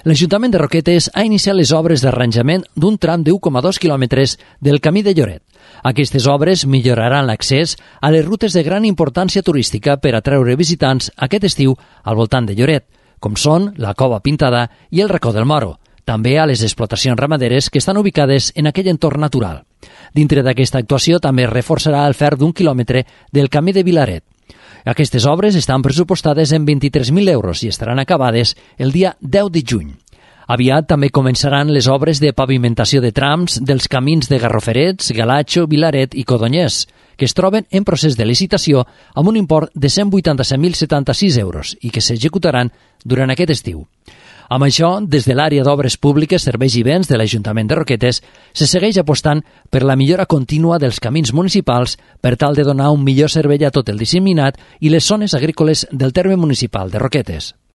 L'Ajuntament de Roquetes ha iniciat les obres d'arranjament d'un tram de 1,2 quilòmetres del camí de Lloret. Aquestes obres milloraran l'accés a les rutes de gran importància turística per atreure visitants aquest estiu al voltant de Lloret, com són la Cova Pintada i el Racó del Moro, també a les explotacions ramaderes que estan ubicades en aquell entorn natural. Dintre d'aquesta actuació també es reforçarà el fer d'1 quilòmetre del camí de Vilaret. Aquestes obres estan pressupostades en 23.000 euros i estaran acabades el dia 10 de juny. Aviat també començaran les obres de pavimentació de trams dels camins de Garroferets, Galatxo, Vilaret i Codonyès, que es troben en procés de licitació amb un import de 187.076 euros i que s'executaran durant aquest estiu. Amb això, des de l'àrea d'obres públiques, serveis i béns de l'Ajuntament de Roquetes, se segueix apostant per la millora contínua dels camins municipals per tal de donar un millor servei a tot el disseminat i les zones agrícoles del terme municipal de Roquetes.